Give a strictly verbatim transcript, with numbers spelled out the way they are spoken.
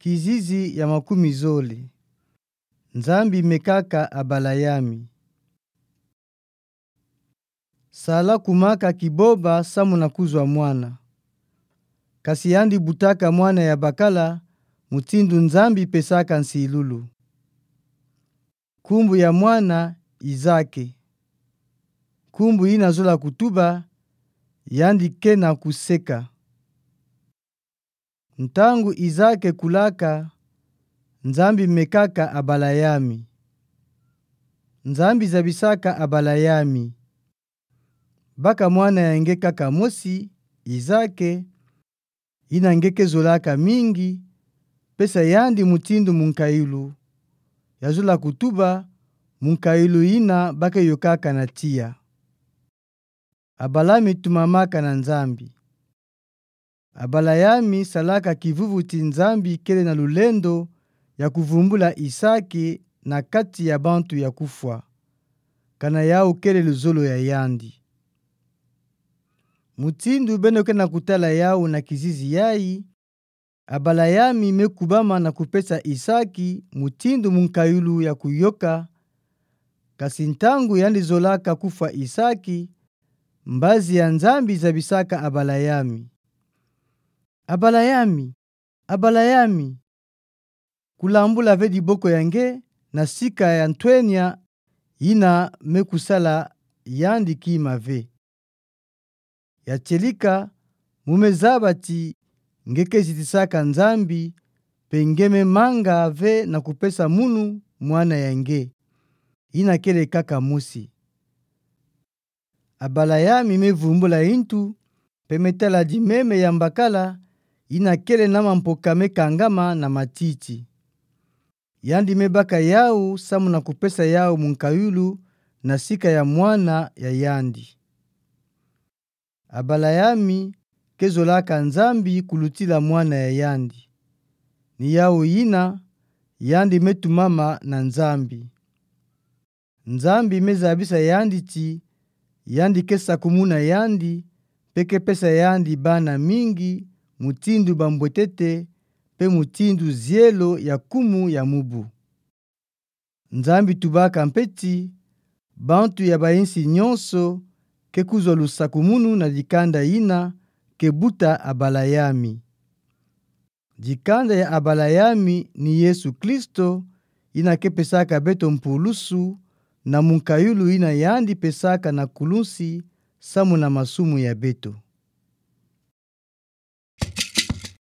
Kizizi ya makumi zole. Nzambi mekaka Abalayami. Sala kumaka kiboba samu na kuzwa mwana. Kasi yandi butaka mwana ya bakala, mutindu Nzambi pesaka nsilulu. Nkumbu ya mwana Izake. Nkumbu yina zola kutuba, yandi kena kuseka. Ntangu Izake kulaka, Nzambi mekaka Abalayami. Nzambi zabisaka Abalayami. Baka mwana ya nge kaka mosi, Izake, yina nge kezolaka mingi, pesa yandi mutindu munkayulu, ya zola kutuba, munkayulu yina ba keyokaka na tiya. Abalayami tumamaka na Nzambi. Abalayami salaka kivuvuti Nzambi kele na lulendo ya kuvumbula Izake na kati ya bantu ya kufwa. Kana yau kele luzolo ya yandi. Mutindu beno kena kutala yau na kizizi yayi, Abalayami mekubama na kupesa Izake mutindu munkayulu ya kuyoka, kasi ntangu yandi zolaka kufwa Izake, mbazi ya Nzambi zabisaka Abalayami. Abalayami, Abalayami, kulambula ve diboko ya nge na sika ya ntwenya yina mekusala yandi kima ve. Ya tieleka, mu mezaba ti nge kezitisaka Nzambi, mpe nge memanga ve na kupesa munu mwana ya nge, yina kele kaka mosi. Abalayami mevumbula yintu, mpe metala dimeme ya mbakala, yina kele na mampoka mekangama na matiti. Yandi mebaka yau samu na kupesa yau munkayulu na sika ya mwana ya yandi. Abalayami kezolaka Nzambi kulutila mwana ya yandi. Ni yau yina, yandi metumama na Nzambi. Nzambi mezabisa yandi ti, yandi kesakumuna yandi, mpe kepesa yandi bana mingi, mutindu bambwetete, mpe mutindu zielo ya kumu ya mubu. Nzambi tubaka mpe ti, bantu ya bayinsi nyonso, ke kuzwa lusakumunu na dikanda yina, ke buta Abalayami. Dikanda ya Abalayami ni Yesu Kristo, yina kepesaka beto mpulusu na munkayulu yina yandi pesaka na kulunsi samu na masumu ya beto.